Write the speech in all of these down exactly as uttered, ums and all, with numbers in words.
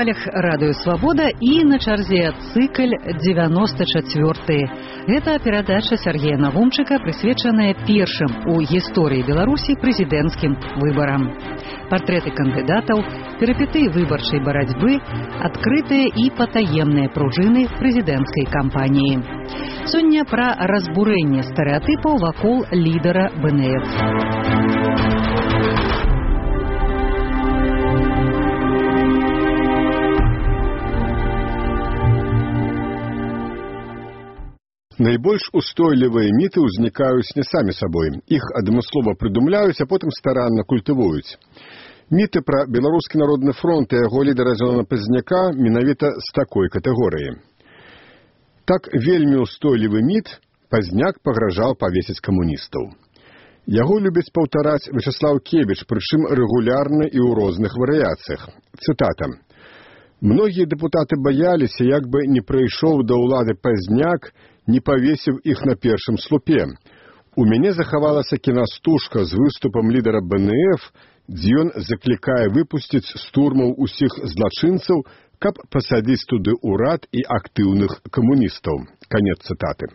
хвалях радыё «Свабода» і на чарзе цыкль девяносто четыре. Гэта перадача Сергея Навумчыка, прысвечаная першым у гісторыі Беларусі прэзідэнцкім выбарам. Партрэты кандыдатаў, перыпетыі выбарчай барацьбы, адкрытыя і патаемныя пружыны прэзідэнцкай кампаніі. Сёння пра разбурэнне стэрэатыпаў вакол лідара бэ эн эф. Найбольш устойлівыя міты ўзнікаюць не самі сабой. Іх адмыслова прыдумляюць, а потым старанна культывуюць. Міты пра Беларускі народны фронт і яго лідара Зелона Пазняка менавіта з такой катэгорыі. Так вельмі устойлівы міт: Пазняк пагражаў павесіць камуністаў. Яго любіць паўтараць Вячеслав Кебіч, прычым рэгулярна і ў розных варыяцыях. Цытата. «Многія дэпутаты баяліся, як бы не прыйшоў да ўлады Пазняк, не павесіў іх на першым слупе. У мяне захавалася кінастужка з выступам лідара бэ эн эф, дзе ён заклікае выпусціць з турмаў усіх злачынцаў, каб пасадзіць туды ўрад і актыўных камуністаў». Канец цытаты.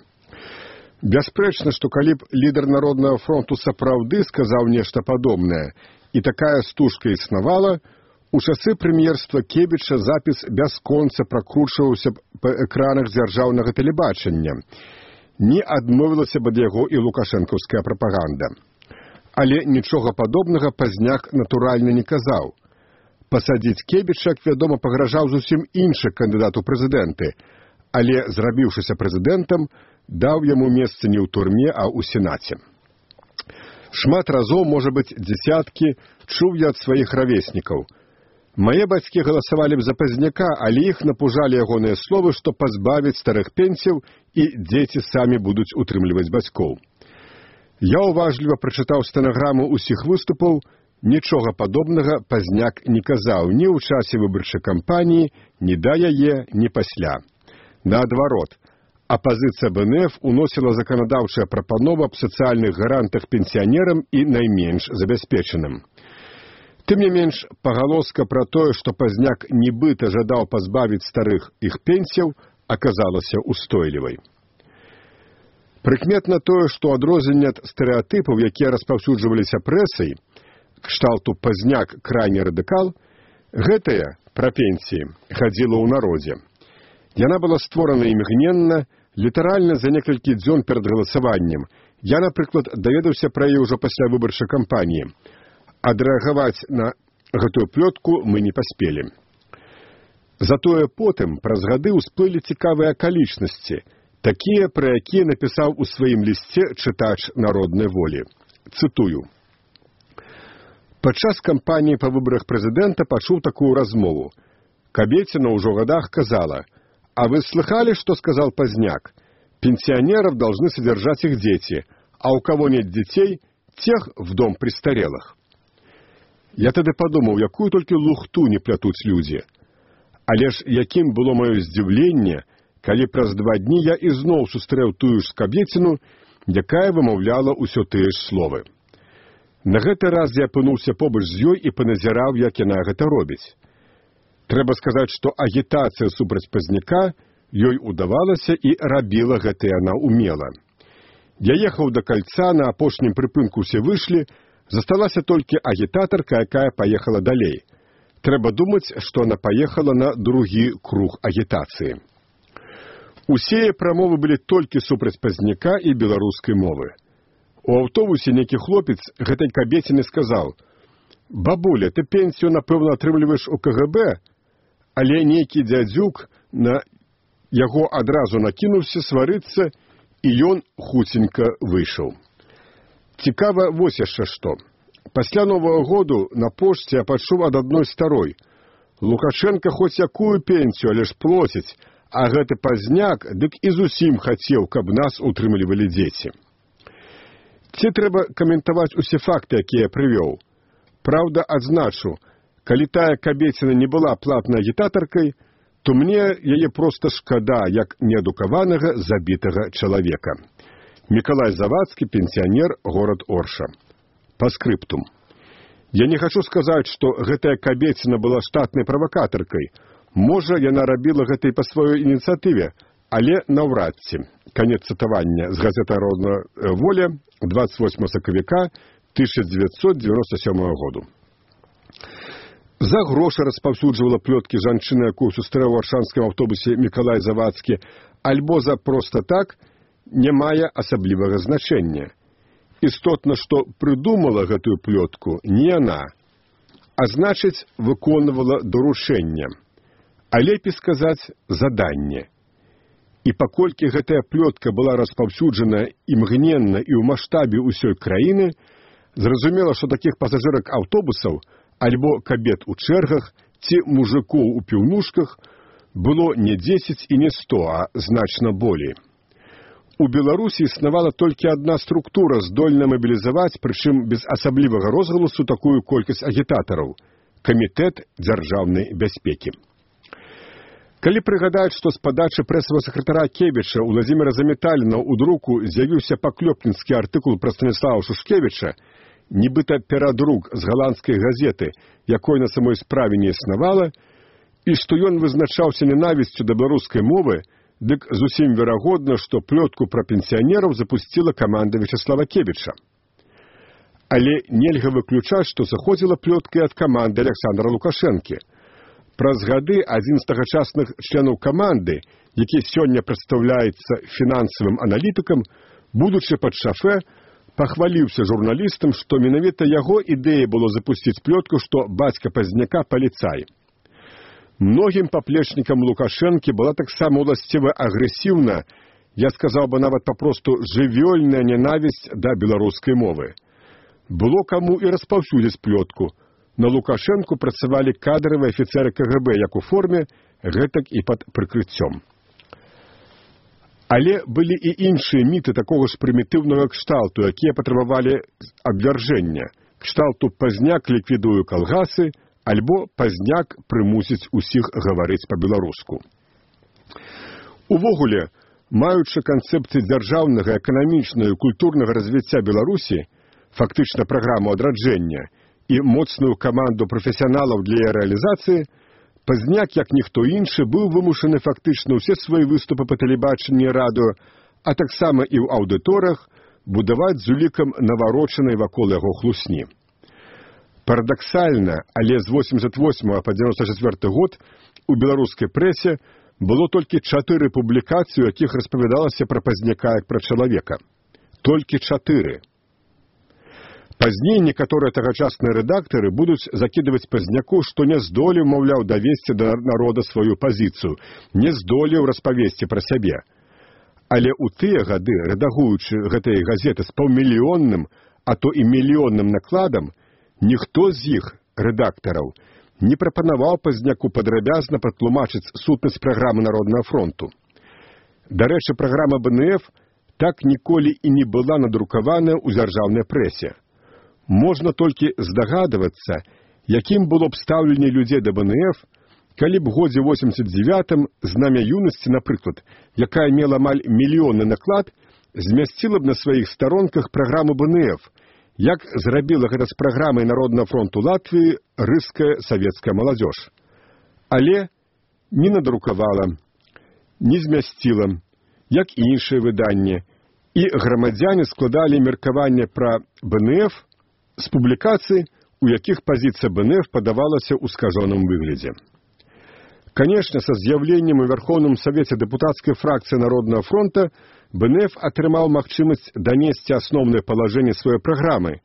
Бясспрэчна, што калі б лідар Народнага фронту сапраўды сказаў нешта падобнае, і такая стужка існавала, у часы прэм'ерства Кебіча запіс бясконца пракручваўся б па экранах дзяржаўнага тэлебачання. Не адмовілася б ад яго і лукашэнкаўская прапаганда. Але нічога падобнага Пазняк натуральна не казаў. Пасадзіць Кебіча, як вядома, пагражаў зусім іншы кандыдат у прэзідэнты, але, зрабіўшыся прэзідэнтам, даў яму месца не ў турме, а ў сенаце. Шмат разоў, можа быць, дзесяткі, чуў я ад сваіх равеснікаў. Мае бацькі галасавалі б за Пазняка, але іх напужалі ягоныя словы, што пазбавяць старых пенсіяў і дзеці самі будуць утрымліваць бацькоў. Я уважліва прачытаў стэнаграму ўсіх выступаў, нічога падобнага Пазняк не казаў ні ў часе выбарчай кампаніі, ні да яе, ні пасля. Наадварот, апазіцыя бэ эн эф уносіла заканадаўчыя прапановы аб сацыяльных гарантах пенсіянерам і найменш забяспечаным. Тым не менш, пагалоска пра тое, што Пазняк нібыта жадаў пазбавіць старых іх пенсіяў, аказалася устойлівай. Прыкметна тое, што адрозненне ад стэрэатыпаў, якія распаўсюджваліся прэсай, кшталту Пазняк крайні радыкал, гэтая, пра пенсіі, хадзіла ў народзе. Яна была створана імгненна, літаральна за некалькі дзён перад галасаваннем. Я, напрыклад, даведаўся пра яе ўжо пасля выбарчай кампаніі. Адрэагаваць на гэтую плётку мы не паспелі. Затое потым, праз гады, усплылі цікавыя акалічнасці, такія, пра якія напісаў у сваім лісце чытач народнай волі. Цытую. Падчас кампаніі па выбарах прэзідэнта пачуў такую размову. Кабеціна ўжо ў гадах казала: «А вы слыхали, что сказал Пазняк? Пенсионеров должны содержать их дети, а у кого нет детей, тех в дом престарелых». Я тады падумаў, якую толькі лухту не плятуць людзі. Але ж якім было маё здзіўленне, калі праз два дні я ізноў сустрэў тую ж кабеціну, якая вымаўляла ўсё тыя ж словы. На гэты раз я апынуўся побач з ёй і паназіраў, як яна гэта робіць. Трэба сказаць, што агітацыя супраць Пазняка ёй удавалася і рабіла гэта яна умела. Я ехаў да кальца, на апошнім прыпынку ўсе выйшлі, засталася толькі агітатарка, якая паехала далей. Трэба думаць, што она паехала на другі круг агітацыі. Усе прамовы былі толькі супраць Пазняка і беларускай мовы. У аўтобусе нейкі хлопец гэтай кабеціны сказаў: «Бабуля, ты пенсію, напэўна, атрымліваеш у ка гэ бэ?» Але нейкі дзядзюк на яго адразу накінуўся сварыцца, і ён хуценька выйшаў. Цікава вось яшчэ што. Пасля Новага году на пошце я пачуў ад адной старой: «Лукашенка хоць якую пенсію, але ж плоціць, а гэты Пазняк дык і зусім хацеў, каб нас утрымлівалі дзеці». Ці трэба каментаваць усе факты, якія я прывёў. Праўда, адзначу, калі тая кабеціна не была платнай агітатаркай, то мне яе проста шкада, як неадукаванага, забітага чалавека. Мікалай Завадскі, пенсіянер, горад Орша. Па скрыптум. Я не хачу сказаць, што гэтая кабеціна была штатнай правакатаркай. Можа, яна рабіла гэта і па сваёй ініцыятыве, але наўрад ці. Канец цытавання з газеты «Народная воля» двадцать восьмого сакавіка тысяча девятьсот девяносто седьмого году. За грошы распаўсюджвала плёткі жанчына, якую сустрэў у варшаўскім аўтобусе Мікалай Завадскі, альбо за проста так, не мае асаблівага значэння. Істотна, што прыдумала гэтую плётку не яна, а значыць, выконвала даручэнне, а лепей сказаць заданне. І паколькі гэтая плётка была распаўсюджана імгненна і ў маштабе ўсёй краіны, зразумела, што такіх пасажырак аўтобусаў альбо кабет у чэргах ці мужикоў у піўнушках было не дзесяць і не сто, а значна болей. У Беларусі існавала толькі адна структура, здольная мабілізаваць, прычым без асаблівага розгаласу, такую колькасць агітатараў – Камітэт дзяржаўнай бяспекі. Калі прыгадаць, што з падачы прэсавага сакратара Кебіча у Владзіміра Заметаліна ў друку з'явіўся паклёпніцкі артыкул пра Станіслава Шушкевіча, нібыта перадрук з галандскай газеты, якой на самой справе не існавала, і што ён вызначаўся ненавісцю да беларускай мовы, дык зусім верагодна, што плётку пра пенсіянераў запусціла каманда Вячеслава Кебіча. Але нельга выключаць, што заходзіла плётка і ад каманды Александра Лукашэнкі. Праз гады адзін з тагачасных членаў каманды, які сёння прадстаўляецца фінансавым аналітыкам, будучы пад шафе, пахваліўся журналістам, што менавіта яго ідэя было запусціць плётку, што бацька Пазняка паліцай. Многім паплечнікам Лукашэнкі была таксама уласціва агрэсіўна, я сказаў бы нават папросту жывёльная ненавісць да беларускай мовы. Было каму і распаўсюдзіць плётку. На Лукашэнку працавалі кадравыя афіцэры ка гэ бэ як у форме, гэтак і пад прыкрыццём. Але былі і іншыя міты такога ж прымітыўнага кшталту, якія патрабавалі абвяржэння. Кшталту «Пазняк ліквідуе калгасы» альбо «Пазняк прымусіць усіх гаварыць па-беларуску». Увогуле, маючы канцэпцыі дзяржаўнага, эканамічнага і культурнага развіцця Беларусі, фактычна праграму адраджэння і моцную каманду прафесіяналаў для яе рэалізацыі, Пазняк, як ніхто іншы, быў вымушаны фактычна ўсе свае выступы па тэлебачанні і радыё, а таксама і ў аўдыторыях, будаваць з улікам наварочанай вакол яго хлусні. Парадаксальна, але з восемьдесят восьмого па девяносто четвёрты год у беларускай прэсе было толькі чатыры публікацыі, у якіх распавядалася пра Пазняка як пра чалавека. Толькі чатыры. Пазней некаторыя тагачасныя рэдактары будуць закідваць Пазняку, што не здолеў, маўляў, давесці да народа сваю пазіцыю, не здолеў распавесці пра сябе. Але ў тыя гады, рэдагуючы гэтай газеты з паўмільённым, а то і мільённым накладам, ніхто з іх, рэдактараў, не прапанаваў Пазняку падрабязна патлумачыць сутнасць праграмы Народнага фронту. Дарэчы, праграма бэ эн эф так ніколі і не была надрукаваная ў дзяржаўнай прэсе. Можна толькі здагадвацца, якім было б стаўленне людзей да бэ эн эф, калі б годзе восемьдесят девятым знамя юнасці, напрыклад, якая мела амаль мільённы наклад, змясціла б на сваіх старонках праграму бэ эн эф, як зрабіла гэта з праграмай Народнага фронту Латвіі рыская савецкая маладзёж. Але не надрукавала, не змясціла, як і іншыя выданні, і грамадзяне складалі меркаванне пра бэ эн эф з публікацый, у якіх пазіцыя бэ эн эф падавалася ў скажоным выглядзе. Канешне, са з'яўленнем у Верховным Савеце дэпутацкай фракцыі Народнага фронта бэ эн эф атрымаў магчымасць данесці асноўныя палажэнні сваёй праграмы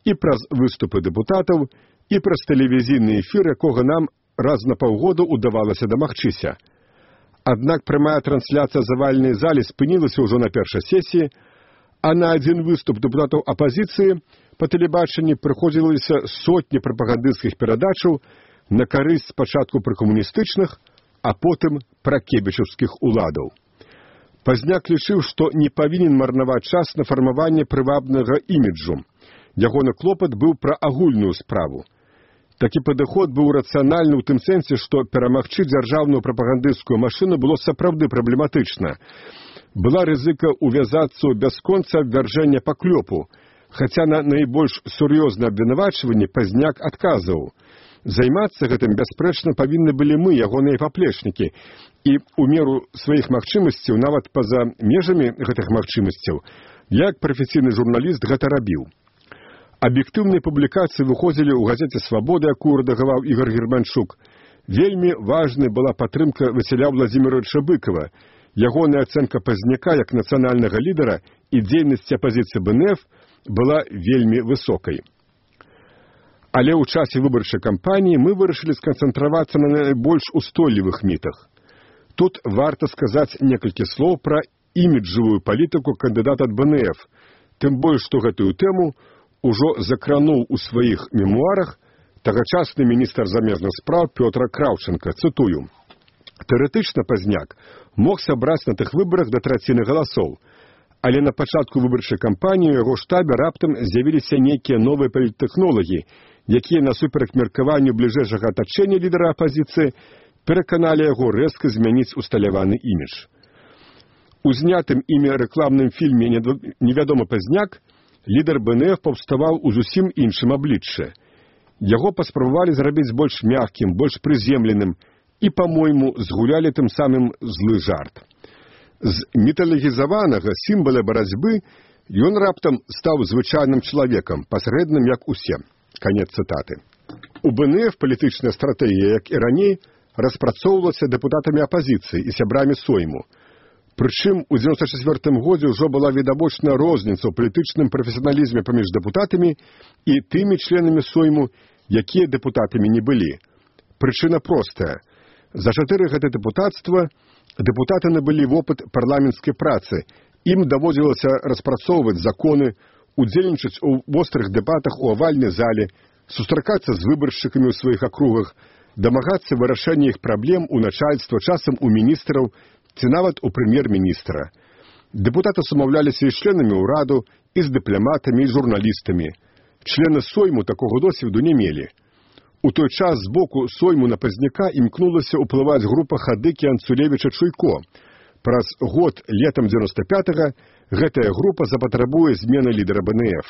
і праз выступы дэпутатаў, і праз тэлевізійны эфір, якога нам раз на паўгода ўдавалася дамагчыся. Аднак прамая трансляцыя завальнай залі спынілася ўжо на першай сесіі, а на адзін выступ дэпутатаў апазіцыі па тэлебачанні прыходзілася сотні прапагандысцкіх перадачаў на карысць спачатку пракамуністычных, а потым пракебічаўскіх уладаў. Пазняк лічыў, што не павінен марнаваць час на фармаванне прывабнага іміджу. Ягоны клопат быў пра агульную справу. Такі падыход быў рацыянальны ў тым сэнсе, што перамагчы дзяржаўную прапагандысцкую машыну было сапраўды праблематычна. Была рызыка увязацца ў бясконца абвяржэння паклёпу, хаця на найбольш сур'ёзнае абвінавачванне Пазняк адказваў. Займацца гэтым бясспрэчна павінны былі мы, ягоныя паплечнікі, і ў меру сваіх магчымасцяў, нават па-за межамі гэтых магчымасцяў, як прафесійны журналіст гэта рабіў. Аб'ектыўныя публікацыі выходзілі ў газеце «Свабода», якую рэдагаваў Ігор Германчук. Вельмі важнай была падтрымка Васіля Владзіміровича Быкова. Ягоная ацэнка Пазняка як нацыянальнага лідара і дзейнасці апазіцыі бэ эн эф была вельмі высокай. Але ў часе выбарчай кампаніі мы вырашылі сканцэнтравацца на найбольш устойлівых мітах. Тут варта сказаць некалькі слоў пра іміджавую палітыку кандыдата ад бэ эн эф, тым больш, што гэтую тэму ужо закрануў у сваіх мемуарах тагачасны міністр замежных спраў Пётр Краўчэнка, цытую. Тэарэтычна Пазняк мог сабраць на тых выбарах да траціны галасоў, але на пачатку выбарчай кампаніі ў яго штабе раптам з'явіліся нейкія новыя паліттэхнолагі, якія насуперак меркаванню бліжэйшага атачэння лідара апазіцыі пераканалі яго рэзка змяніць усталяваны імідж. У знятым імі рэкламным фільме «Невядомы Пазняк» лідар бэ эн эф паўставаў у зусім іншым абліччы. Яго паспрабавалі зрабіць больш мяккім, больш прыземленым і, па-мойму, згулялі тым самым злы жарт. З міталагізаванага сімвала барацьбы ён раптам стаў звычайным чалавекам, пасрэдным, як усе. Канец цытаты. У бэ эн эф палітычная стратэгія, як і раней, распрацоўвалася дэпутатамі апазіцыі і сябрамі Сойму. Прычым, у дзевяносто чацвёртым годзе ўжо была відавочная розніца ў палітычным прафесіяналізме паміж дэпутатамі і тымі членамі Сойму, якія дэпутатамі не былі. Прычына простая. За чатыры гады дэпутацтва дэпутаты набылі вопыт парламенцкай працы. Ім даводзілася распрацоўваць законы, удзельнічаць у вострых дэбатах у авальнай зале, сустракацца з выбаршчыкамі ў сваіх акругах, дамагацца вырашэння іх праблем у начальства, часам у міністраў, ці нават у прэм'ер-міністра. Дэпутаты сумаўляліся і з членамі ўраду, і з дыпламатамі, і журналістамі. Члены Сойму такога досведу не мелі. У той час з боку Сойму на Пазняка імкнулася ўплываць група Хадыкі Анцулевіча Чуйко. Праз год, летам дзевяносто пятага, гэтая група запатрабуе змены лідара бэ эн эф.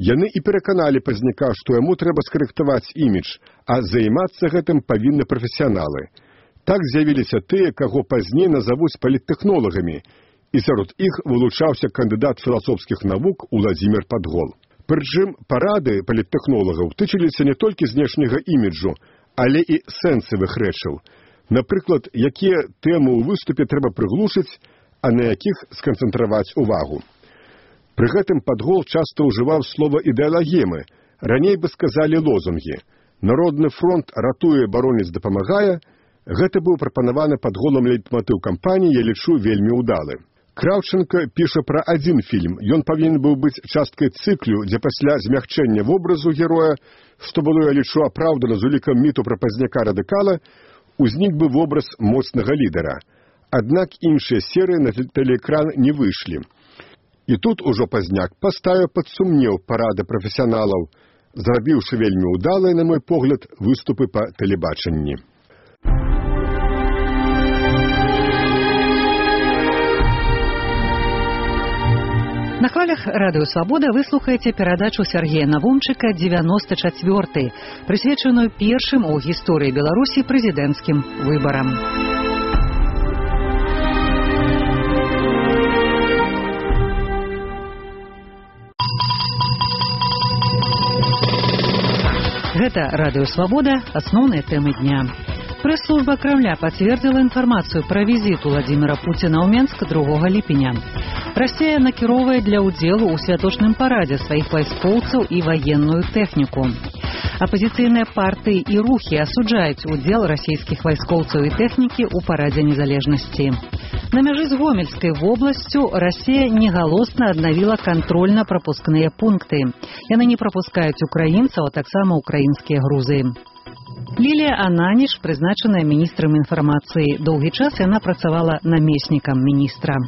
Яны і пераканалі Пазняка, што яму трэба скарэктаваць імідж, а займацца гэтым павінны прафесіяналы. Так з'явіліся тыя, каго пазней назавуць паліттэхнолагамі, і сярод іх вылучаўся кандыдат філасофскіх навук Уладзімір Падгол. Прычым парады паліттэхнолагаў тычыліся не толькі знешняга іміджу, але і сэнсавых рэчаў. Напрыклад, якія тэмы ў выступе трэба прыглушыць, а на якіх сканцэнтраваць увагу. Пры гэтым Падгол часта ўжываў слова ідэалагемы, раней бы сказалі лозунгі. Народны фронт ратуе, бароніць, дапамагае. Гэта быў прапанаваны Падголам лейтматыў кампаніі, я лічу, вельмі ўдалы. Краўчэнка піша пра адзін фільм. Ён павінен быў быць часткай цыклю, дзе пасля змягчэння вобразу героя, што было, я лічу, апраўдана з улікам міту пра Пазняка-радыкала, узнік бы вобраз моцнага лідара. Аднак іншыя серыі на тэлеэкран не выйшлі. І тут ужо Пазняк паставіў пад сумнеў парады прафесіяналаў, зрабіўшы вельмі ўдалыя, на мой погляд, выступы па тэлебачанні. На хвалях радыё «Свабода» вы слухаеце перадачу Сергея Навумчыка «девяносто четвёрты», прысвечаную першым у гісторыі Беларусі прэзідэнцкім выбарам. Гэта радыё «Свабода», асноўныя тэмы дня. Прэс-служба Крамля пацвердзіла інфармацыю пра візіт Уладзіміра Пуціна ў Менск другога ліпеня. Расія накіроўвае для ўдзелу ў святочным парадзе сваіх вайскоўцаў і ваенную тэхніку. Апазіцыйныя партыі і рухі асуджаюць удзел расійскіх вайскоўцаў і тэхнікі ў парадзе незалежнасці. На мяжы з Гомельскай вобласцю Расія негалосна аднавіла кантрольна-прапускныя пункты. Яны не прапускаюць украінцаў, а таксама украінскія грузы. Лілія Ананіш прызначаная міністрам інфармацыі. Доўгі час яна працавала намеснікам міністра.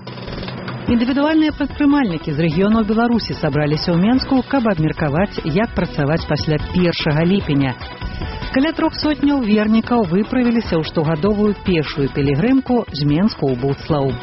Індывідуальныя прадпрымальнікі з рэгіёнаў Беларусі сабраліся ў Менску, каб абмеркаваць, як працаваць пасля першага ліпеня. Каля трох сотняў вернікаў выправіліся ў штогадовую пешую пілігрымку з Менску ў Буцлаў.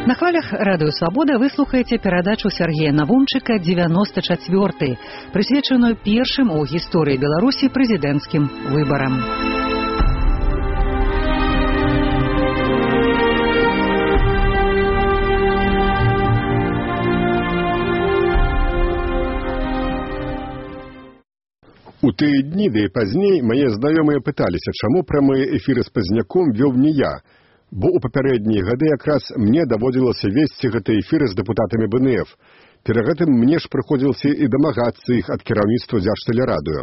На хвалях радыё «Свабода» вы слухаеце перадачу Сергея Навумчыка «девяносто четвёрты», прысвечаную першым у гісторыі Беларусі прэзідэнцкім выбарам. У тыя дні, да і пазней, мае знаёмыя пыталіся, чаму прамыя эфіры з Пазняком вёў не я, бо ў папярэднія гады якраз мне даводзілася весці гэтыя эфіры з дэпутатамі бэ эн эф. Перад гэтым мне ж прыходзілася і дамагацца іх ад кіраўніцтва Дзяржтэлерадыё.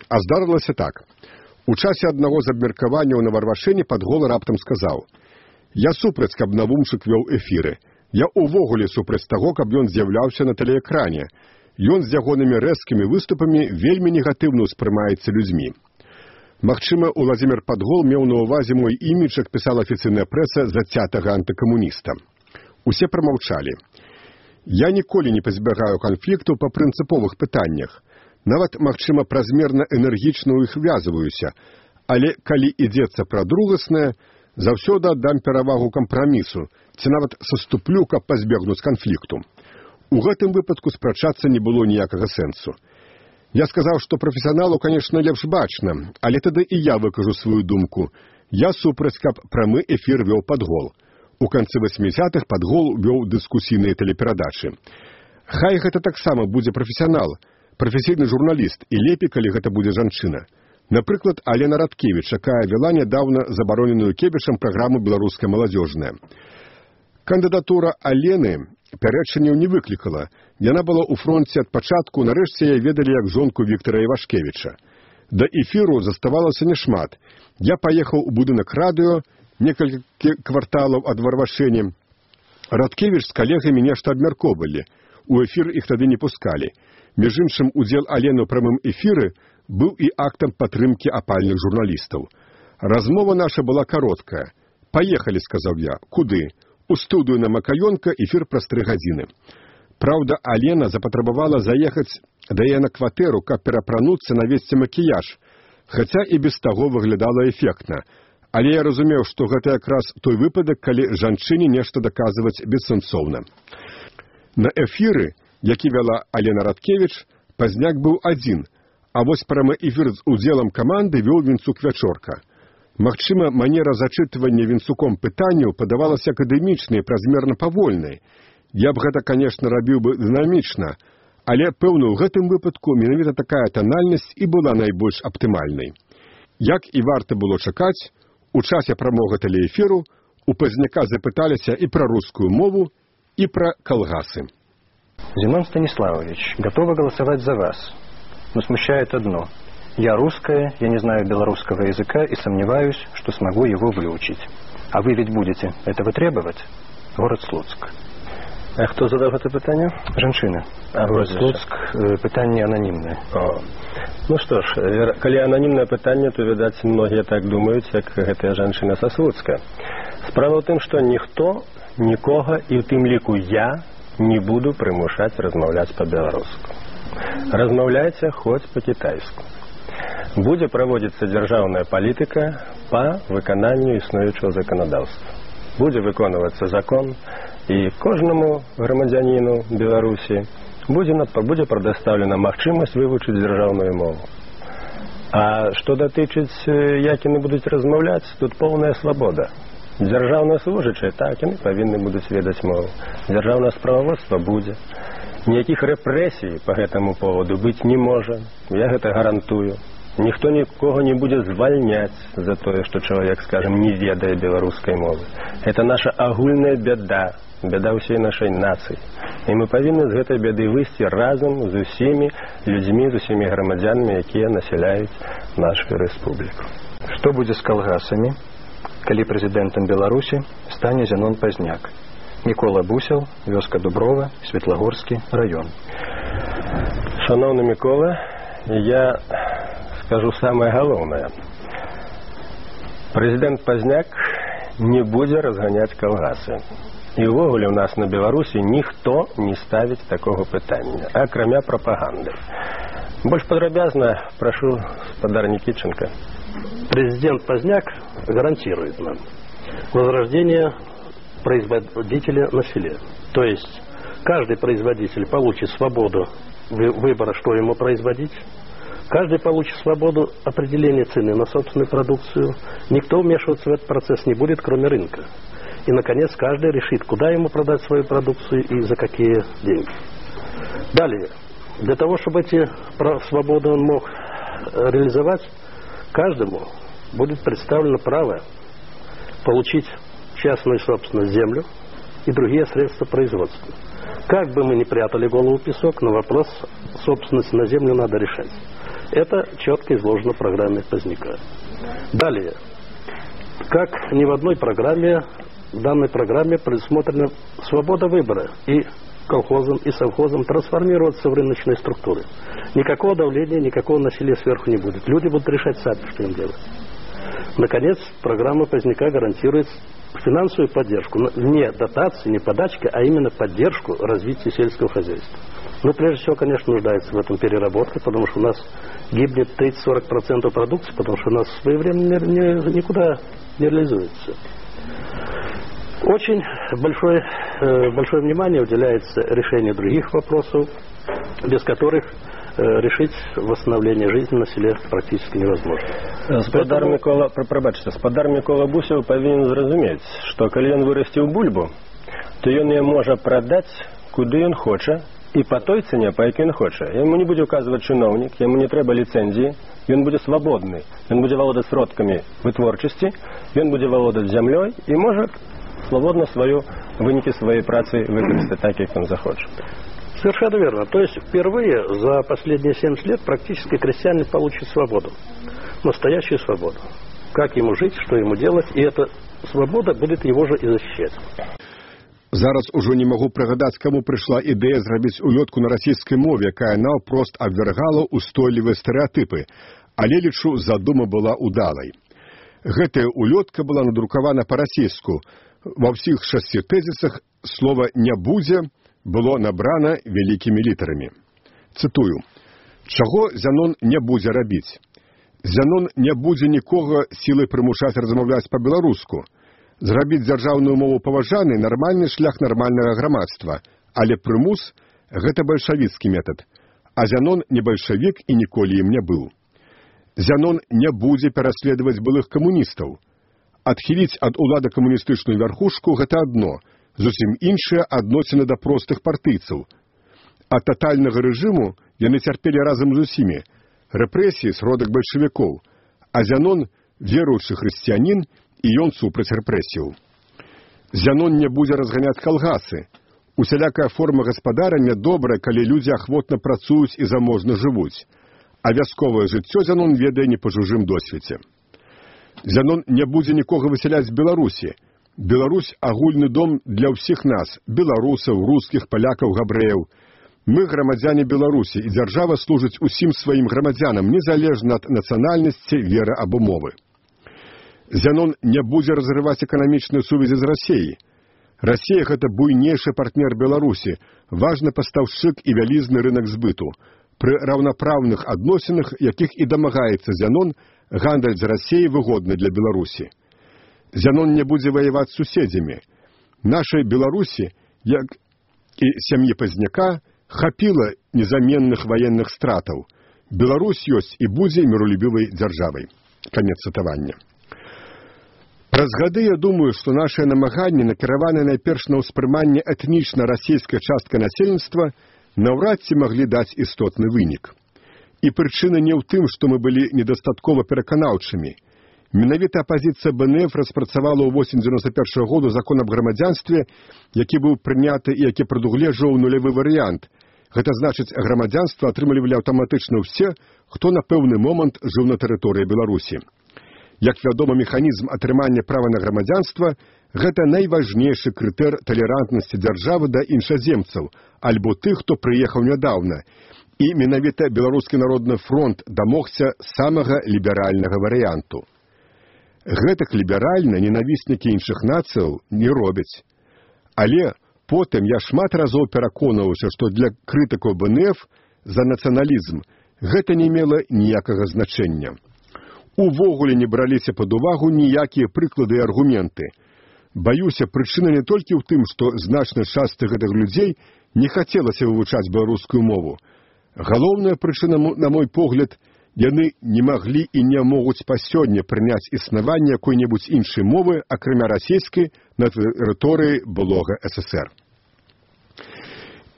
А здарылася так. У часе аднаго з абмеркаванняў на Варвашэне Падгол раптам сказаў: «Я супраць, каб Навумчык вёў эфіры. Я увогуле супраць таго, каб ён з'яўляўся на тэлеэкране. Ён з ягонымі рэзкімі выступамі вельмі негатыўна ўспрымаецца людзьмі». Магчыма, Уладзімір Падгол меў на ўвазе мой імідж, як пісала афіцыйная прэса, зацятага антыкамуніста. Усе прамаўчалі. Я ніколі не пазбягаю канфліктаў па прынцыповых пытаннях. Нават, магчыма, празмерна энергічна ў іх ввязваюся, але калі ідзецца пра другаснае, заўсёды аддам перавагу кампрамісу, ці нават саступлю, каб пазбегнуць канфлікту. У гэтым выпадку спрачацца не было ніякага сэнсу. Я сказаў, што прафесіяналу, канешне, лепш бачна, але тады і я выкажу сваю думку. Я супраць, каб прамы эфір вёў Падгол. У канцы васьмідзесятых Падгол вёў дыскусійныя тэлеперадачы. Хай гэта таксама будзе прафесіянал, прафесійны журналіст, і лепей, калі гэта будзе жанчына. Напрыклад, Алена Радкевіч, якая вела нядаўна забароненую Кебішам праграму «Беларуская маладзёжная». Кандыдатура Алены пярэчанняў не выклікала. Яна была ў фронце ад пачатку, нарэшце яе ведалі як жонку Віктара Івашкевіча. Да эфіру заставалася няшмат. Я паехаў у будынак радыё, некалькі кварталаў ад Варвашэні. Радкевіч з калегамі нешта абмяркоўвалі. У эфір іх тады не пускалі. Між іншым, удзел Алены ў прамым эфіры быў і актам падтрымкі апальных журналістаў. Размова наша была кароткая. «Паехалі», — сказаў я. «Куды?» «У студыю на Макаёнка, эфір праз тры гадзіны». Праўда, Алена запатрабавала заехаць да яе на кватэру, каб перапрануцца, навесці макіяж, хаця і без таго выглядала эфектна. Але я разумеў, што гэта якраз той выпадак, калі жанчыне нешта даказваць бессэнсоўна. На эфіры, які вяла Алена Радкевіч, Пазняк быў адзін, а вось прамы эфір з удзелам каманды вёў Вінцук Вячорка. Магчыма, манера зачытвання Вінцуком пытанняў падавалася акадэмічнай, празмерна павольнай. Я б гэта, канешне, рабіў бы дынамічна, але, пэўна, у гэтым выпадку менавіта такая танальнасць і была найбольш аптымальнай. Як і варта было чакаць, у часе прамога тэлеэфіру у Пазняка запыталіся і пра рускую мову, і пра калгасы. Зенон Станиславович, готова голосовать за вас, но смущает одно. Я русская, я не знаю белорусского языка и сомневаюсь, что смогу его выучить. А вы ведь будете этого требовать? Город Слуцк. А хто задав це питання? Жанчына. А город Слуцк, питання анонімне. О. Ну что ж, калі анонімне питання, то, відаць, многие так думаюць, як гэтая жанчына са Слуцка. Справа ў тым, што ніхто, нікога, і ў тым ліку я, не буду прымушаць размаўляць па-беларуску. Размаўляйце хоць па-кітайску. Будзе праводзіцца дзяржаўная палітыка па выкананню існуючага заканадаўства. Будзе выконвацца закон, і кожнаму грамадзяніну Беларусі будзе, будзе прадастаўлена магчымасць вывучыць дзяржаўную мову. А што датычыць, як яны будуць размаўляць, тут поўная свабода. Дзяржаўныя служачыя, так, яны павінны будуць ведаць мову. Дзяржаўнае справаводства будзе. Ніякіх рэпрэсій па гэтаму поводу быць не можа. Я гэта гарантую. Ніхто нікога не будзе звальняць за тое, што чалавек, скажем, не ведае беларускай мовы. Гэта наша агульная бяда, бяда ўсей нашай нацыі. І мы павінны з гэтай бяды выйсці разам з усімі людзьмі, з усімі грамадзянамі, якія насяляюць нашу рэспубліку. Што будзе з калгасамі, калі прэзідэнтам Беларусі стане Зенон Пазняк? Мікола Бусел, вёска Дуброва, Светлагорскі раён. Шановны Мікола, я скажу самое галоўнае. Прэзідэнт Пазняк не будзе разганяць калгасы. І ўвогуле ў нас на Беларусі ніхто не ставіць такога пытання, акрамя прапаганды. Больш падрабязна прашу спадар Никитченко. Президент Пазняк гарантирует нам возрождение производителя на селе. То есть каждый производитель получит свободу выбора, что ему производить. Каждый получит свободу определения цены на собственную продукцию. Никто вмешиваться в этот процесс не будет, кроме рынка. И, наконец, каждый решит, куда ему продать свою продукцию и за какие деньги. Далее. Для того, чтобы эти свободы он мог реализовать, каждому будет представлено право получить частную собственность землю и другие средства производства. Как бы мы ни прятали голову в песок, но вопрос собственности на землю надо решать. Это четко изложено в программе Поздняка. Далее. Как ни в одной программе, в данной программе предусмотрена свобода выбора и колхозам, и совхозам трансформироваться в рыночные структуры. Никакого давления, никакого насилия сверху не будет. Люди будут решать сами, что им делать. Наконец, программа Поздняка гарантирует финансовую поддержку. Не дотации, не подачки, а именно поддержку развития сельского хозяйства. Но прежде всего, конечно, нуждается в этом переработке, потому что у нас гибнет тридцать-сорок процентов продукции, потому что у нас своевременно никуда не реализуется. Очень большое, большое внимание уделяется решению других вопросов, без которых решить восстановление жизни на селе практически невозможно. Спадар Поэтому... Микола, пробачте, спадар Микола Бусев повинен зразумець, што калі ён вырасціў бульбу, то ён яе можа прадаць куды ён хоча і па той цане, па якой ён хоча. Яму не будзе указваць чыноўнік, яму не трэба ліцэнзіі, ён будзе свабодны, ён будзе валодаць сродкамі вытворчасці, ён будзе валодаць зямлёй і можа свободно свою вынікі своей працы выкарыстаць так, як он захочет. Совершенно верно. То есть впервые за последние семьдесят лет практически крестьянин получит свободу. Настоящую свободу. Как ему жить, что ему делать, и эта свобода будет его же и защищать. Зараз ужо не магу прыгадаць, каму прыйшла ідэя зрабіць улётку на расійскай мове, якая наўпрост абвяргала устойлівыя стэрэатыпы, але лічу, задума была удалай. Гэтая улётка была надрукавана па-расійску. Ва ўсіх шасці тэзісах слова «не будзе» было набрана вялікімі літарамі. Цытую. Чаго Зянон не будзе рабіць? Зянон не будзе нікога сілай прымушаць размаўляць па-беларуску. Зрабіць дзяржаўную мову паважанай – нармальны шлях нармальнага грамадства, але прымус – гэта бальшавіцкі метад, а Зянон не бальшавік і ніколі ім не быў. Зянон не будзе пераследаваць былых камуністаў. Адхіліць ад улады камуністычную вярхушку – гэта адно, зусім іншае адносіны да простых партыйцаў. Ад татальнага рэжыму яны цярпелі разам з усімі. Рэпрэсіі – сродак бальшавікоў, а Зянон – веруючы хрысціянін, і ён супраць рэпрэсіяў. Зянон не будзе разганяць калгасы. Усялякая форма гаспадарання добрая, калі людзі ахвотна працуюць і заможна жывуць. А вясковае жыццё Зянон ведае не па чужым досведзе. Зянон не будзе нікога высяляць з Беларусі. Беларусь – агульны дом для ўсіх нас – беларусаў, рускіх, палякаў, габрэяў. Мы грамадзяне Беларусі, і дзяржава служыць усім сваім грамадзянам, незалежна ад нацыянальнасці, веры або мовы. Зянон не будзе разрываць эканамічныя сувязі з Расіяй. Расія – гэта буйнейшы партнер Беларусі, важны пастаўшчык і вялізны рынак збыту. Пры раўнапраўных адносінах, якіх і дамагаецца Зянон, гандаль з Расіяй выгодны для Беларусі. Зянон не будзе ваяваць з суседзямі. Нашай Беларусі, як і сям'і Пазняка, хапіла незаменных ваенных стратаў. Беларусь ёсць і будзе міролюбівай дзяржавай. Канец цытавання. Праз гады я думаю, што нашыя намаганні, накіраваныя найперш на ўспрыманне этнічна расійскай часткай насельніцтва, наўрад ці маглі даць істотны вынік. І прычына не ў тым, што мы былі недастаткова пераканаўчымі. Менавіта апазіцыя бэ эн эф распрацавала ў восень дзевяносто першага году закон аб грамадзянстве, які быў прыняты і які прадугледжваў нулявы варыянт. Гэта значыць, грамадзянства атрымлівалі аўтаматычна ўсе, хто на пэўны момант жыў на тэрыторыі Беларусі. Як вядома, механізм атрымання права на грамадзянства – гэта найважнейшы крытэр талерантнасці дзяржавы да іншаземцаў, альбо тых, хто прыехаў нядаўна. І менавіта Беларускі народны фронт дамогся самага ліберальнага варыянту. Гэтак ліберальна ненавіснікі іншых нацыяў не робяць. Але потым я шмат разоў пераконваўся, што для крытыкаў бэ эн эф за нацыяналізм гэта не мела ніякага значэння. Увогуле не браліся пад увагу ніякія прыклады і аргументы. Баюся, прычына не толькі ў тым, што значная частка гэтых людзей не хацелася вывучаць беларускую мову. Галоўная прычына, на мой погляд, яны не маглі і не могуць па сёння прыняць існаванне якой-небудзь іншай мовы, акрамя расійскай, на тэрыторыі былога эс эс ер.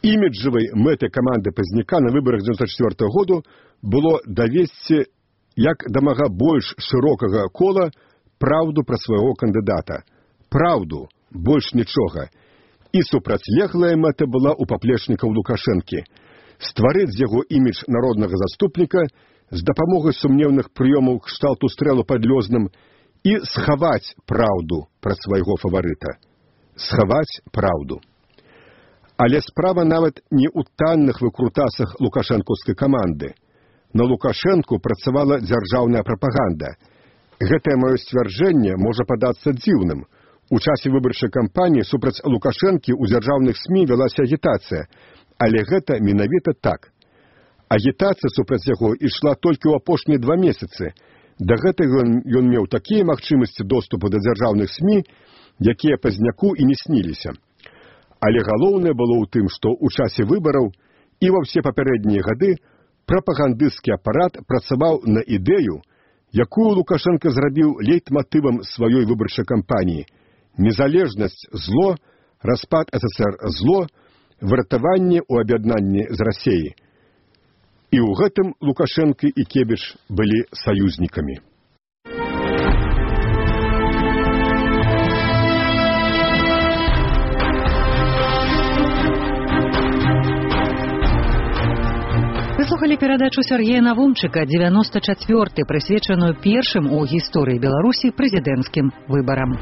Іміджавай мэтай каманды Пазняка на выбарах дзевяносто четвёртого году было давесці як дамага больш шырокага кола праўду пра свайго кандыдата. Праўду, больш нічога. І супрацьлеглая мэта была ў паплечнікаў Лукашэнкі. Стварыць з яго імідж народнага заступніка з дапамогай сумнеўных прыёмаў кшталту стрэлу пад Лёзным і схаваць праўду пра свайго фаварыта. Схаваць праўду. Але справа нават не ў танных выкрутасах лукашэнкаўскай каманды. На Лукашэнку працавала дзяржаўная прапаганда. Гэтае маё сцвярджэнне можа падацца дзіўным. У часе выбарчай кампаніі супраць Лукашэнкі ў дзяржаўных СМІ вялася агітацыя, але гэта менавіта так. Агітацыя супраць яго ішла толькі ў апошнія два месяцы. Да гэтага ён меў такія магчымасці доступу да дзяржаўных СМІ, якія Пазняку і не сніліся. Але галоўнае было ў тым, што ў часе выбараў і ва ўсе папярэднія гады прапагандысцкі апарат працаваў на ідэю, якую Лукашенко зрабіў лейтматывам сваёй выбарчай кампаніі. Незалежнасць – зло, распад эс эс ер – зло, выратаванне ў аб'яднанні з Расіяй. І ў гэтым Лукашенко і Кебіш былі саюзнікамі. Вы слухали перадачу Сергея Навумчыка «девяносто четвёртый», прысвечаную першым у гісторыі Беларусі прэзідэнцкім выбарам.